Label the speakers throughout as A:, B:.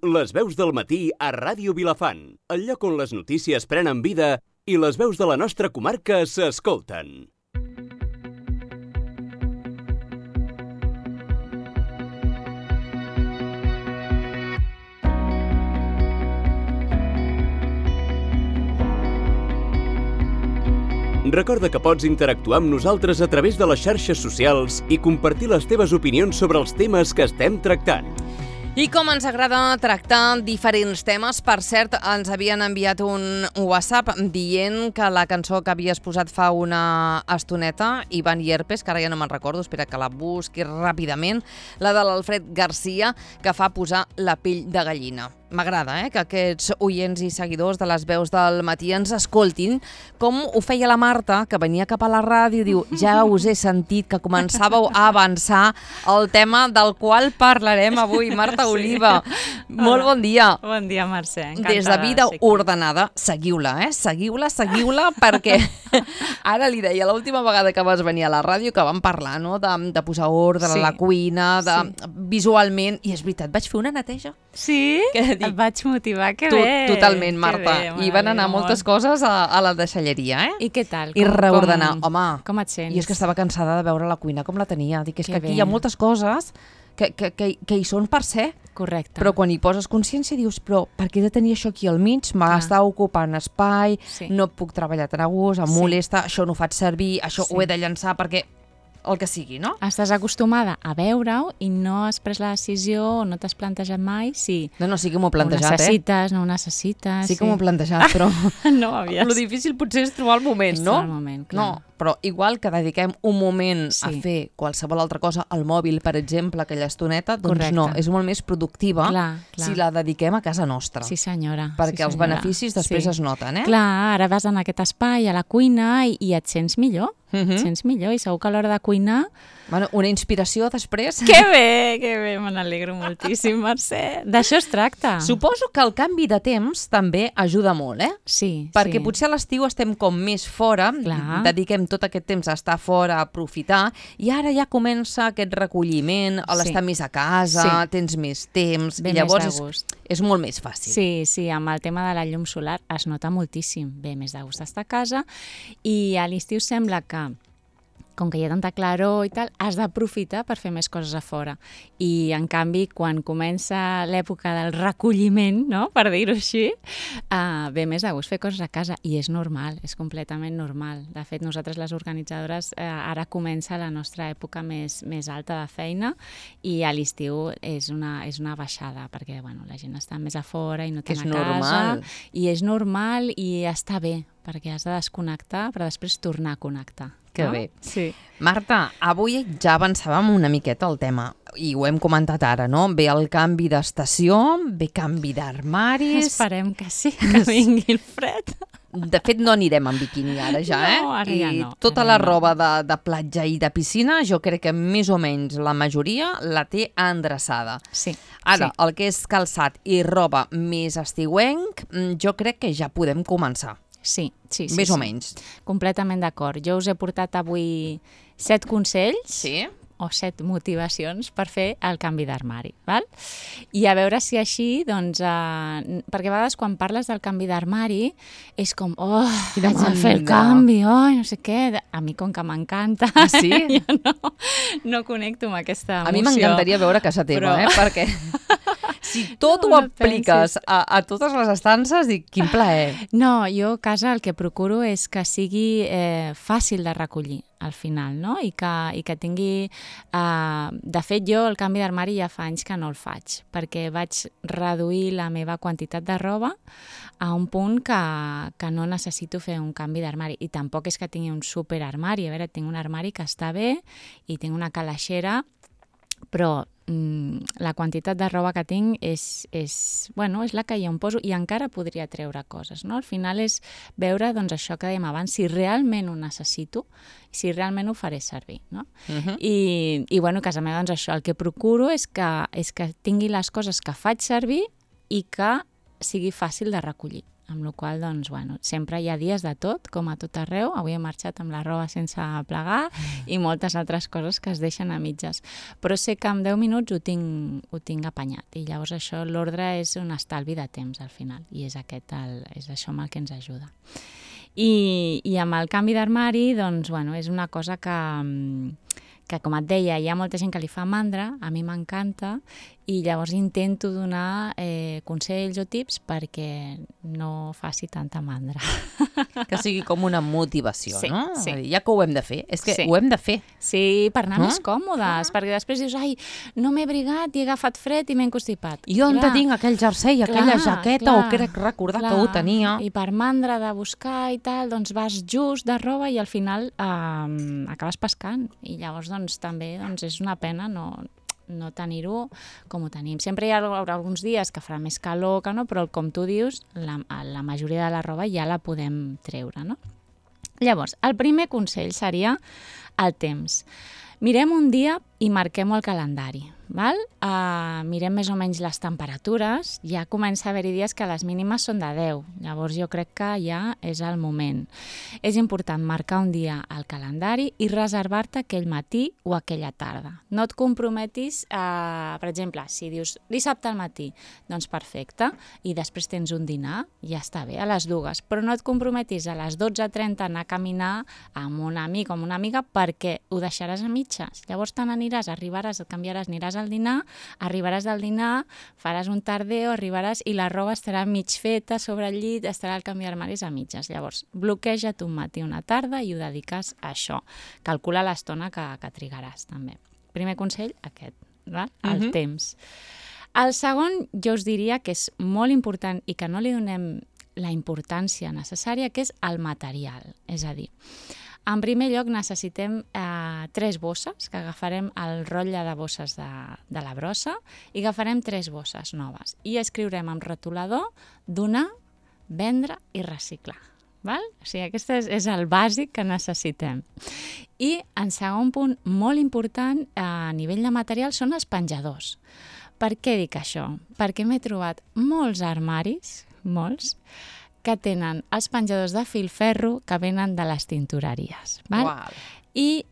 A: Les veus del matí a Ràdio Vilafant, el lloc on les notícies prenen vida i les veus de la nostra comarca s'escolten. Recorda que pots interactuar amb nosaltres a través de les xarxes socials i compartir les teves opinions sobre els temes que estem tractant.
B: I com ens agrada tractar diferents temes, per cert, ens havien enviat un WhatsApp dient que la cançó que havies posat fa una estoneta, Ivan Llerpes, que ara ja no me'n recordo, espera que la busqui ràpidament, la de l'Alfred Garcia, que fa posar la pell de gallina. M'agrada que aquests oients i seguidors de les veus del matí ens escoltin, com ho feia la Marta, que venia cap a la ràdio i diu: ja us he sentit que començàveu a avançar el tema del qual parlarem avui. Marta Oliva, molt bon dia.
C: Bon dia, Mercè. Encantada.
B: Des de Vida Ordenada, seguiu-la, seguiu-la, perquè ara li deia l'última vegada que vas venir a la ràdio que vam parlar, no?, de posar ordre a la cuina, visualment, i és veritat, vaig fer una neteja.
C: Sí? Et vaig motivar, que bé.
B: Totalment, Marta. I van anar moltes coses a la deixalleria,
C: I què tal?
B: I reordenar. Home,
C: com et sents?
B: I és que estava cansada de veure la cuina com la tenia. Dic, és que aquí hi ha moltes coses que hi són per ser.
C: Correcte.
B: Però quan hi poses consciència dius, però per què he de tenir això aquí al mig? M'està ocupant espai, no puc treballar tan a gust, em molesta, això no ho faig servir, això ho he de llançar perquè... el que sigui, no?
C: Estàs acostumada a veure-ho i no has pres la decisió o no t'has plantejat mai si...
B: No, sí que m'ho he plantejat,
C: ho necessites, no ho necessites...
B: Sí que m'ho he plantejat, però...
C: No havies...
B: Lo difícil potser és trobar el moment, no?
C: És trobar el moment, clar.
B: No, però igual que dediquem un moment a fer qualsevol altra cosa, al mòbil, per exemple, aquella estoneta, doncs no, és molt més productiva si la dediquem a casa nostra.
C: Sí, senyora.
B: Perquè els beneficis després es noten,
C: Clar, ara vas en aquest espai, a la cuina, i et sents millor. Et sents millor, i segur que a l'hora de cuinar...
B: Bueno, una inspiració després...
C: Que bé, me n'alegro moltíssim, Mercè. D'això es tracta.
B: Suposo que el canvi de temps també ajuda molt,
C: Sí.
B: Perquè potser a l'estiu estem com més fora, dediquem tot aquest temps a estar fora, a aprofitar, i ara ja comença aquest recolliment, l'estar més a casa, tens més temps, i llavors és molt més fàcil.
C: Sí, amb el tema de la llum solar es nota moltíssim. Ve més de gust estar a casa, i a l'estiu sembla que com que hi ha tanta claror i tal, has d'aprofitar per fer més coses a fora. I, en canvi, quan comença l'època del recolliment, no?, per dir-ho així, ve més de gust fer coses a casa. I és normal, és completament normal. De fet, nosaltres, les organitzadores, ara comença la nostra època més alta de feina, i a l'estiu és una baixada, perquè la gent està més a fora i no té a casa. I és normal i està bé, perquè has de desconnectar per després tornar a connectar.
B: Que bé.
C: Sí.
B: Marta, avui ja avançàvem una miqueta el tema, i ho hem comentat ara, no? Ve el canvi d'estació, ve canvi d'armaris...
C: Esperem que sí, que vingui el fred.
B: De fet, no anirem amb biquini ara ja,
C: No, ara ja no.
B: I tota la roba de platja i de piscina, jo crec que més o menys la majoria la té endreçada.
C: Sí.
B: Ara, el que és calçat i roba més estiuenc, jo crec que ja podem començar.
C: Sí.
B: Més o menys.
C: Completament d'acord. Jo us he portat avui 7 consells o 7 motivacions per fer el canvi d'armari, val? I a veure si així, doncs... perquè a vegades quan parles del canvi d'armari és com, haig de fer el canvi, no sé què... A mi, com que m'encanta, jo no connecto amb aquesta emoció.
B: A mi m'encantaria veure casa teva, perquè... Si tot ho apliques a totes les estances, dic, quin plaer.
C: No, jo a casa el que procuro és que sigui fàcil de recollir al final, no? I que tingui... De fet, jo el canvi d'armari ja fa anys que no el faig, perquè vaig reduir la meva quantitat de roba a un punt que no necessito fer un canvi d'armari. I tampoc és que tingui un superarmari. A veure, tinc un armari que està bé i tinc una calaixera, però la quantitat de roba que tinc és la que jo em poso, i encara podria treure coses, no? Al final és veure, doncs, això que dèiem abans, si realment ho necessito, si realment ho faré servir, no? I a casa meva, doncs, això, el que procuro és que tingui les coses que faig servir i que sigui fàcil de recollir. amb la qual cosa, doncs, bueno, sempre hi ha dies de tot, com a tot arreu. Avui he marxat amb la roba sense plegar i moltes altres coses que es deixen a mitges. Però sé que en 10 minuts ho tinc apanyat i llavors això, l'ordre és un estalvi de temps al final i és això amb el que ens ajuda. I amb el canvi d'armari, doncs, bueno, és una cosa que, com et deia, hi ha molta gent que li fa mandra, a mi m'encanta, i llavors intento donar consells o tips perquè no faci tanta mandra.
D: Que sigui com una motivació,
C: Sí,
D: no?
C: sí.
D: Ja que ho hem de fer, és que
C: Sí.
D: ho hem de fer.
C: Sí, per anar més còmodes, perquè després dius, ai, no m'he abrigat i he agafat fred i m'he encostipat.
D: I on te tinc aquell jersei, aquella jaqueta, o crec recordar que ho tenia?
C: I per mandra de buscar i tal, doncs vas just de roba i al final acabes pescant. I llavors doncs, també és una pena no tenir-ho com ho tenim. Sempre hi haurà alguns dies que farà més calor que no, però com tu dius, la majoria de la roba ja la podem treure, no? Llavors, el primer consell seria el temps. Mirem un dia i marquem-ho al calendari. Val? Mirem més o menys les temperatures, ja comença a haver-hi dies que les mínimes són de 10, llavors jo crec que ja és el moment. És important marcar un dia al calendari i reservar-te aquell matí o aquella tarda. No et comprometis, per exemple, si dius dissabte al matí, doncs perfecte, i després tens un dinar, ja està bé, a les 2, però no et comprometis a les 12:30 a anar a caminar amb un amic o amb una amiga perquè ho deixaràs a mitges. Llavors te n'aniràs, arribaràs, et canviaràs, aniràs al dinar, arribaràs del dinar, faràs un tardeo, arribaràs i la roba estarà mig feta sobre el llit, estarà el canvi d'armaris a mitges. Llavors, bloqueja't un matí o una tarda i ho dediques a això. Calcula l'estona que trigaràs, també. Primer consell, aquest, val? El temps. El segon, jo us diria que és molt important i que no li donem la importància necessària, que és el material. És a dir, en primer lloc necessitem 3 bosses, que agafarem el rotlle de bosses de la brossa i agafarem 3 bosses noves i escriurem amb retolador donar, vendre i reciclar. Val? O sigui, aquest és el bàsic que necessitem. I en segon punt, molt important a nivell de material, són els penjadors. Per què dic això? Perquè m'he trobat molts armaris, molts, que tenen els penjadors de filferro que venen de les tintoreries. Val?
D: Uau.
C: I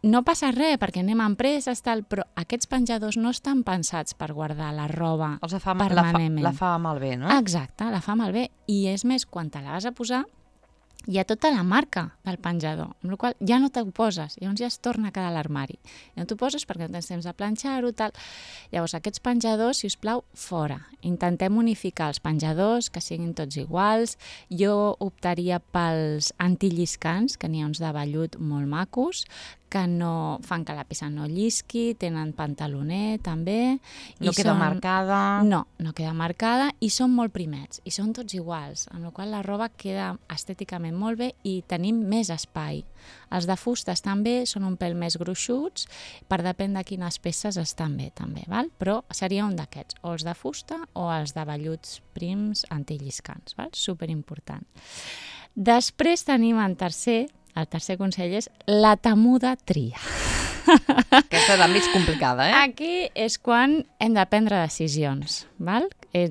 C: no passa res, perquè anem a empreses, tal, però aquests penjadors no estan pensats per guardar la roba permanentment.
D: La fa malbé, no?
C: Exacte, la fa malbé. I és més, quan te la vas a posar, hi ha tota la marca del penjador, amb la qual cosa ja no t'ho poses, llavors ja es torna a quedar a l'armari. I no t'ho poses perquè no tens temps de planxar-ho, tal. Llavors, aquests penjadors, si us plau, fora. Intentem unificar els penjadors, que siguin tots iguals. Jo optaria pels antilliscants, que n'hi ha uns de vellut molt macos, que no fan que la peça no llisqui, tenen pantaloner també.
D: No queda marcada.
C: No queda marcada i són molt primets i són tots iguals, amb la qual cosa la roba queda estèticament molt bé i tenim més espai. Els de fusta estan bé, són un pèl més gruixuts, per depèn de quines peces estan bé també, val? Però seria un d'aquests, o els de fusta o els de velluts prims antilliscants, val? Superimportant. Després tenim el tercer consell és la temuda tria.
D: Aquesta és la més complicada, eh?
C: Aquí és quan hem de prendre decisions, val?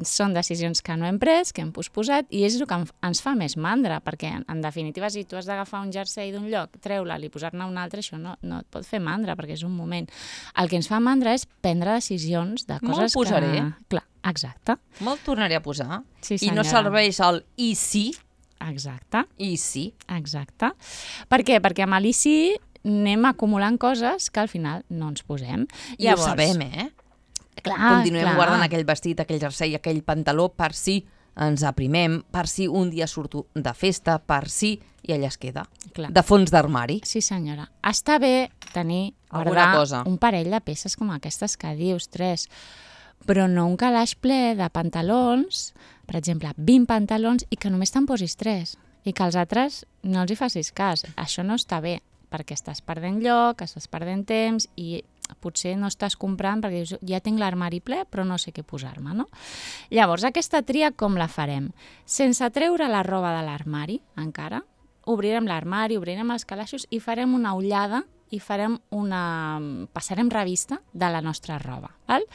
C: Són decisions que no hem pres, que hem posposat, i és el que ens fa més mandra, perquè en definitiva si tu has d'agafar un jersei d'un lloc, treure'l i posar-ne un altre, això no et pot fer mandra, perquè és un moment. El que ens fa mandra és prendre decisions de coses
D: Molt posaré.
C: Clar, exacte.
D: Me'l tornaré a posar.
C: Sí,
D: I no
C: senyora.
D: serveix el i sí,
C: Exacte.
D: i sí.
C: Exacte. Per què? Perquè amb l'ICI anem acumulant coses que al final no ens posem.
D: I ho sabem, eh?
C: Clar,
D: Continuem guardant aquell vestit, aquell jersei, aquell pantaló per si ens aprimem, per si un dia surto de festa, per si i allà es queda.
C: Clar.
D: De fons d'armari.
C: Sí, senyora. Està bé tenir,
D: Alguna
C: guardar
D: cosa.
C: un parell de peces com aquestes que dius, 3, però no un calaix ple de pantalons, per exemple, 20 pantalons, i que només te'n posis 3, i que als altres no els hi facis cas. Això no està bé, perquè estàs perdent lloc, estàs perdent temps, i potser no estàs comprant perquè dius, ja tinc l'armari ple, però no sé què posar-me, no? Llavors, aquesta tria com la farem? Sense treure la roba de l'armari, encara, obrirem l'armari, obrirem els calaixos i farem una ullada i passarem revista de la nostra roba. Val?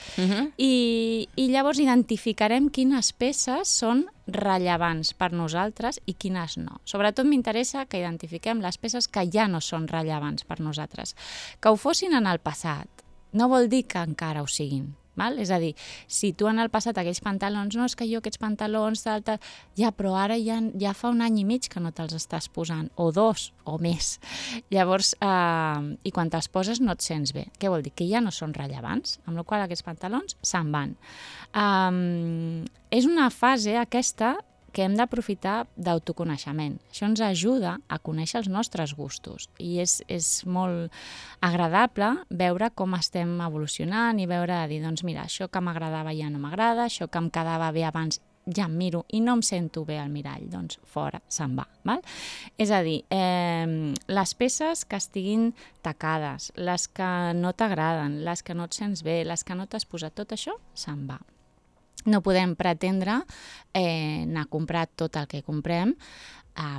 C: I llavors identificarem quines peces són rellevants per nosaltres i quines no. Sobretot m'interessa que identifiquem les peces que ja no són rellevants per nosaltres. Que ho fossin en el passat no vol dir que encara ho siguin. Val? És a dir, si tu en el passat aquells pantalons, no, és que jo aquests pantalons, ja, però ara ja fa un any i mig que no te'ls estàs posant, o 2, o més. Llavors, i quan te'ls poses no et sents bé. Què vol dir? Que ja no són rellevants, amb la qual cosa aquests pantalons se'n van. És una fase aquesta que hem d'aprofitar d'autoconeixement. Això ens ajuda a conèixer els nostres gustos i és molt agradable veure com estem evolucionant i veure, dir, doncs mira, això que m'agradava ja no m'agrada, això que em quedava bé abans ja em miro i no em sento bé al mirall, doncs fora, se'n va. Val? És a dir, les peces que estiguin tacades, les que no t'agraden, les que no et sents bé, les que no t'has posat, tot això se'n va. No podem pretendre anar a comprar tot el que comprem,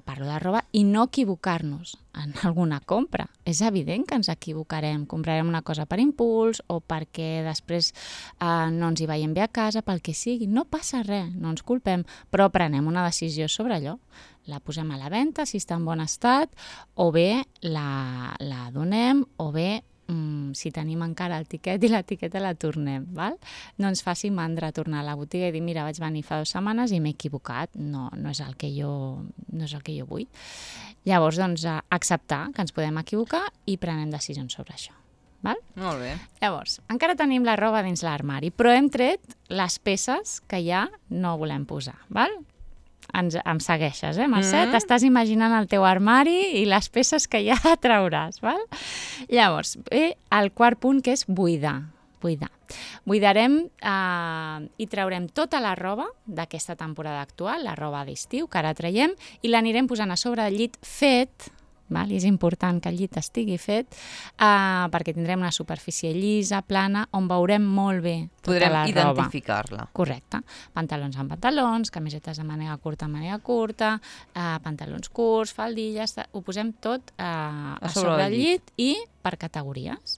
C: parlo de roba, i no equivocar-nos en alguna compra. És evident que ens equivocarem, comprarem una cosa per impuls o perquè després no ens hi veiem bé a casa, pel que sigui. No passa res, no ens culpem, però prenem una decisió sobre allò. La posem a la venda, si està en bon estat, o bé la donem, o bé si tenim encara el tiquet i l'etiqueta la tornem, val? No ens faci mandra tornar a la botiga i dir, mira, vaig venir fa 2 setmanes i m'he equivocat, no és el que jo vull. Llavors, doncs, acceptar que ens podem equivocar i prenem decisions sobre això. Val?
D: Molt bé.
C: Llavors, encara tenim la roba dins l'armari, però hem tret les peces que ja no volem posar, val? Em segueixes, Mercè? T'estàs imaginant el teu armari i les peces que ja trauràs, val? Llavors, el quart punt, que és buidar. Buidarem i traurem tota la roba d'aquesta temporada actual, la roba d'estiu, que ara traiem, i l'anirem posant a sobre del llit fet, val? I és important que el llit estigui fet perquè tindrem una superfície llisa, plana, on veurem molt bé tota la roba.
D: Podrem identificar-la.
C: Correcte. Pantalons amb pantalons, camisetes de màniga curta, pantalons curts, faldilles, ho posem tot a sobre el llit i per categories.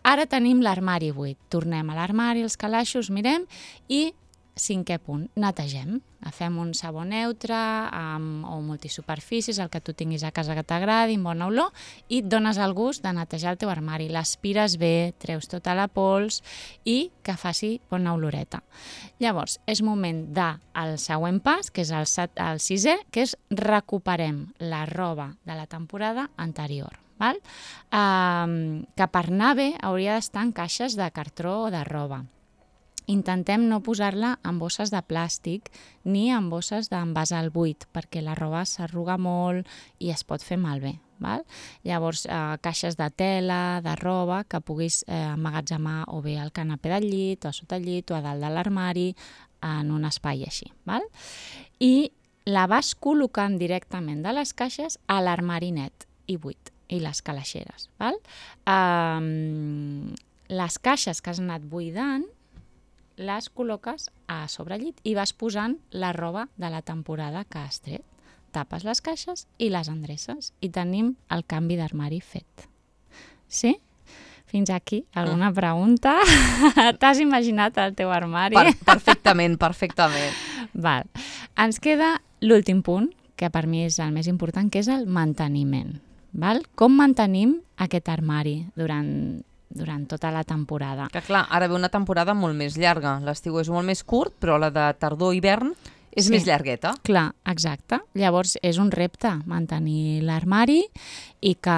C: Ara tenim l'armari buit. Tornem a l'armari, els calaixos, mirem i 5è punt, netegem. Fem un sabó neutre o multisuperfícies, el que tu tinguis a casa que t'agradi, amb bona olor, i et dones el gust de netejar el teu armari. L'aspires bé, treus tota la pols i que faci bona oloreta. Llavors, és moment del següent pas, que és el 6è, que és recuperem la roba de la temporada anterior. Val? Que per anar bé hauria d'estar en caixes de cartró o de roba. Intentem no posar-la en bosses de plàstic ni en bosses d'envasar al buit, perquè la roba s'arruga molt i es pot fer malbé. Val? Llavors, caixes de tela, de roba, que puguis emmagatzemar o bé al canapé del llit, o a sota el llit, o a dalt de l'armari, en un espai així. Val? I la vas col·locant directament de les caixes a l'armari net i buit, i les calaixeres. Val? Les caixes que has anat buidant les col·loques a sobre el llit i vas posant la roba de la temporada que has tret. Tapes les caixes i les endreces i tenim el canvi d'armari fet. Sí? Fins aquí, alguna pregunta? T'has imaginat el teu armari?
D: Perfectament.
C: Val. Ens queda l'últim punt, que per mi és el més important, que és el manteniment. Val? Com mantenim aquest armari durant tota la temporada?
D: Que clar, ara ve una temporada molt més llarga. L'estiu és molt més curt, però la de tardor-hivern és més llargueta.
C: Clar, exacte. Llavors és un repte mantenir l'armari i que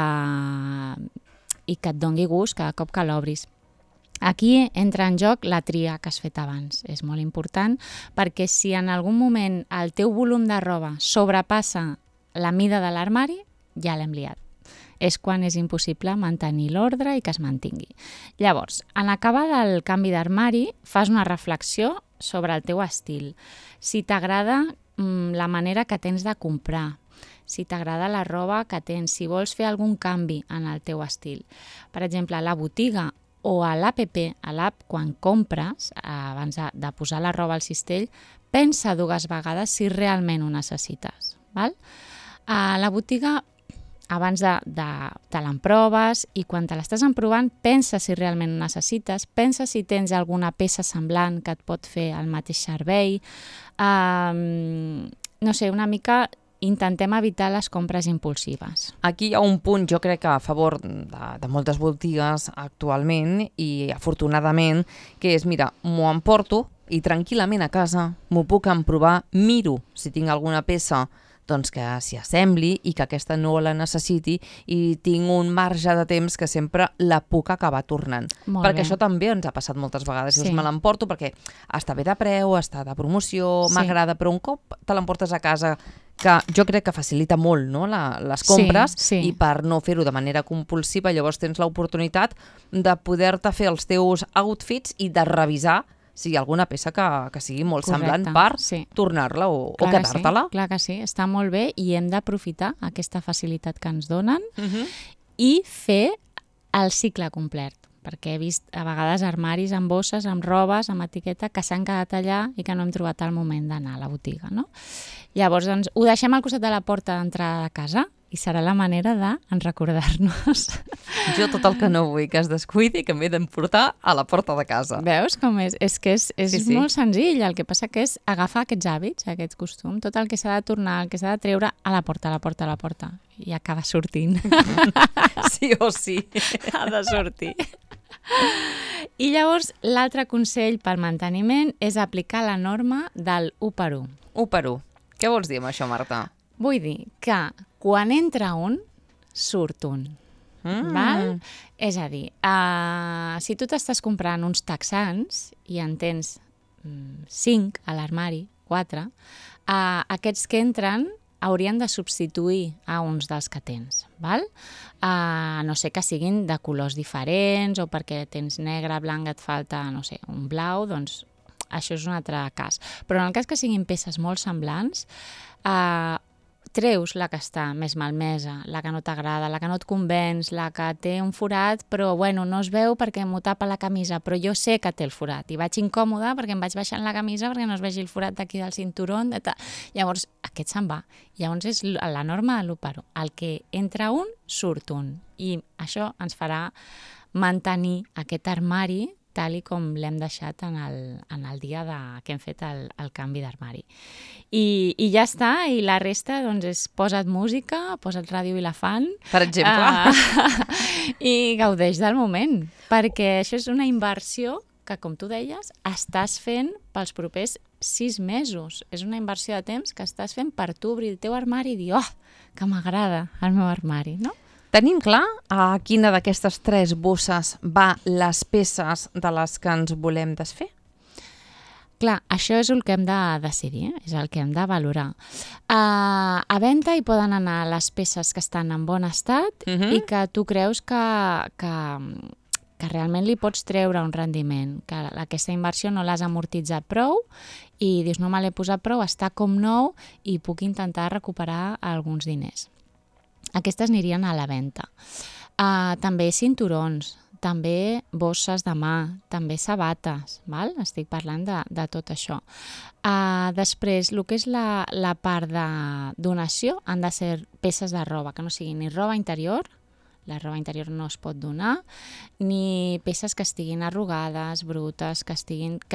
C: et doni gust cada cop que l'obris. Aquí entra en joc la tria que has fet abans. És molt important perquè si en algun moment el teu volum de roba sobrepassa la mida de l'armari, ja l'hem liat. És quan és impossible mantenir l'ordre i que es mantingui. Llavors, en acabar el canvi d'armari, fas una reflexió sobre el teu estil. Si t'agrada la manera que tens de comprar, si t'agrada la roba que tens, si vols fer algun canvi en el teu estil. Per exemple, a la botiga o a l'APP, a l'app, quan compres, abans de posar la roba al cistell, pensa 2 vegades si realment ho necessites. Val? A la botiga abans te l'emproves i quan te l'estàs emprovant pensa si realment ho necessites, pensa si tens alguna peça semblant que et pot fer el mateix servei. No sé, una mica intentem evitar les compres impulsives.
D: Aquí hi ha un punt, jo crec que a favor de moltes botigues actualment i afortunadament, que és, mira, m'ho emporto i tranquil·lament a casa m'ho puc emprovar, miro si tinc alguna peça doncs que s'hi assembli i que aquesta no la necessiti i tinc un marge de temps que sempre la puc acabar tornant.
C: Molt
D: Perquè
C: bé.
D: això també ens ha passat moltes vegades.
C: Sí.
D: Dius, me l'emporto perquè està bé de preu, està de promoció,
C: Sí.
D: m'agrada, però un cop te l'emportes a casa, que jo crec que facilita molt, no?, les compres,
C: Sí.
D: i per no fer-ho de manera compulsiva llavors tens l'oportunitat de poder-te fer els teus outfits i de revisar si hi ha alguna peça que sigui molt semblant per
C: sí.
D: tornar-la o
C: Clar que sí,
D: quedar-te-la.
C: clar que sí, està molt bé i hem d'aprofitar aquesta facilitat que ens donen
D: Mhm.
C: i fer el cicle complet, perquè he vist a vegades armaris amb bosses, amb robes, amb etiqueta, que s'han quedat allà i que no hem trobat el moment d'anar a la botiga, no? Llavors, doncs, ho deixem al costat de la porta d'entrada de casa i serà la manera de recordar-nos.
D: Jo tot el que no vull que es descuidi que m'he d'emportar a la porta de casa.
C: Veus com és? És que és
D: Sí.
C: molt senzill, el que passa que és agafar aquests hàbits, aquest costum, tot el que s'ha de tornar, el que s'ha de treure a la porta, a la porta, a la porta, i acaba sortint.
D: Sí o sí.
C: Ha de sortir. I llavors, l'altre consell pel manteniment és aplicar la norma del 1 per 1.
D: 1 per 1. Què vols dir amb això, Marta?
C: Vull dir que quan entra un, surt un. Val? És a dir, si tu t'estàs comprant uns texans i en tens 5 a l'armari, 4, aquests que entren haurien de substituir a uns dels que tens, val? A no sé que siguin de colors diferents o perquè tens negre, blanc, et falta, no sé, un blau, doncs això és un altre cas. Però en el cas que siguin peces molt semblants, treus la que està més malmesa, la que no t'agrada, la que no et convenç, la que té un forat, però bueno, no es veu perquè m'ho tapa la camisa, però jo sé que té el forat i vaig incòmoda perquè em vaig baixant la camisa perquè no es vegi el forat d'aquí del cinturó. Llavors, aquest se'n va. Llavors és la norma de l'1 El que entra un, surt un. I això ens farà mantenir aquest armari tal i com l'hem deixat en el dia que hem fet el canvi d'armari. I ja està, i la resta doncs, és posa't música, posa't Ràdio Vilafant,
D: Per exemple.
C: i gaudeix del moment, perquè això és una inversió que, com tu deies, estàs fent pels propers 6 mesos. És una inversió de temps que estàs fent per tu obrir el teu armari i dir, oh, que m'agrada el meu armari, no?
D: Tenim clar a quina d'aquestes 3 bosses va les peces de les que ens volem desfer?
C: Clar, això és el que hem de decidir, és el que hem de valorar. A venda hi poden anar les peces que estan en bon estat i que tu creus que realment li pots treure un rendiment, que aquesta inversió no l'has amortitzat prou i dius, no me l'he posat prou, està com nou i puc intentar recuperar alguns diners. Aquestes anirien a la venda. També cinturons, també bosses de mà, també sabates, val? Estic parlant de tot això. Després, el que és la part de donació han de ser peces de roba, que no sigui ni roba interior, la roba interior no es pot donar, ni peces que estiguin arrugades, brutes, que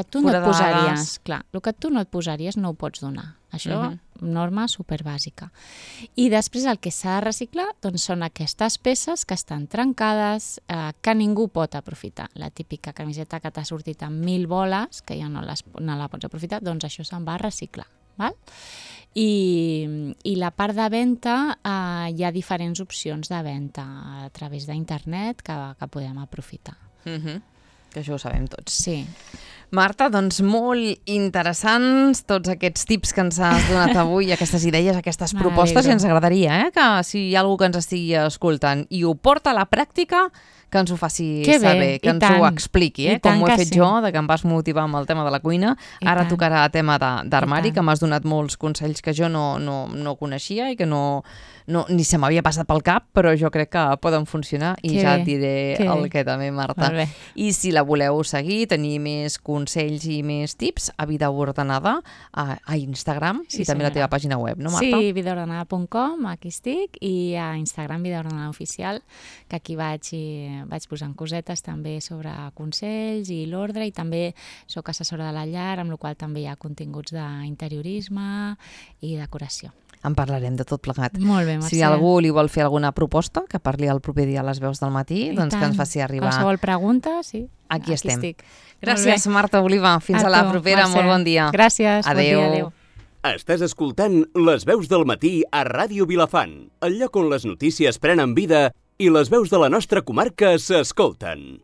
C: tu no et posaries. Clar, el que tu no et posaries no ho pots donar. Això, norma superbàsica. I després el que s'ha de reciclar doncs, són aquestes peces que estan trencades, que ningú pot aprofitar. La típica camiseta que t'ha sortit amb 1000 boles, que ja no la pots aprofitar, doncs això se'n va a reciclar. Val? I la part de venda, hi ha diferents opcions de venda a través d'internet que podem aprofitar.
D: Que això ho sabem tots.
C: Sí.
D: Marta, doncs molt interessants tots aquests tips que ens has donat avui, aquestes idees, aquestes propostes, i ens agradaria que si hi ha algú que ens estigui escoltant i ho porta a la pràctica, que ens ho faci saber, que ens ho expliqui, com ho he fet jo, que em vas motivar amb el tema de la cuina. Ara tocarà tema d'armari, que m'has donat molts consells que jo no coneixia i que ni se m'havia passat pel cap, però jo crec que poden funcionar i ja et diré el que també, Marta. I si la voleu seguir, tenir més consells, consells i més tips a Vida Ordenada a Instagram i també a la teva pàgina web, no, Marta?
C: Sí, vidaordenada.com, aquí estic, i a Instagram Vida Ordenada Oficial, que aquí vaig posant cosetes també sobre consells i l'ordre, i també soc assessora de la llar, amb la qual també hi ha continguts d'interiorisme i decoració.
D: En parlarem de tot plegat.
C: Molt bé, Mercè.
D: Si algú li vol fer alguna proposta, que parli el proper dia a les veus del matí, doncs que ens faci arribar.
C: Qualsevol pregunta, sí.
D: Aquí estem.
C: Estic.
D: Gràcies, Marta Oliva. Fins a la propera.
C: Mercè.
D: Molt bon dia.
C: Gràcies.
D: Adéu.
C: Bon dia, adéu.
A: Estàs escoltant Les veus del matí a Ràdio Vilafant, el lloc on les notícies prenen vida i les veus de la nostra comarca s'escolten.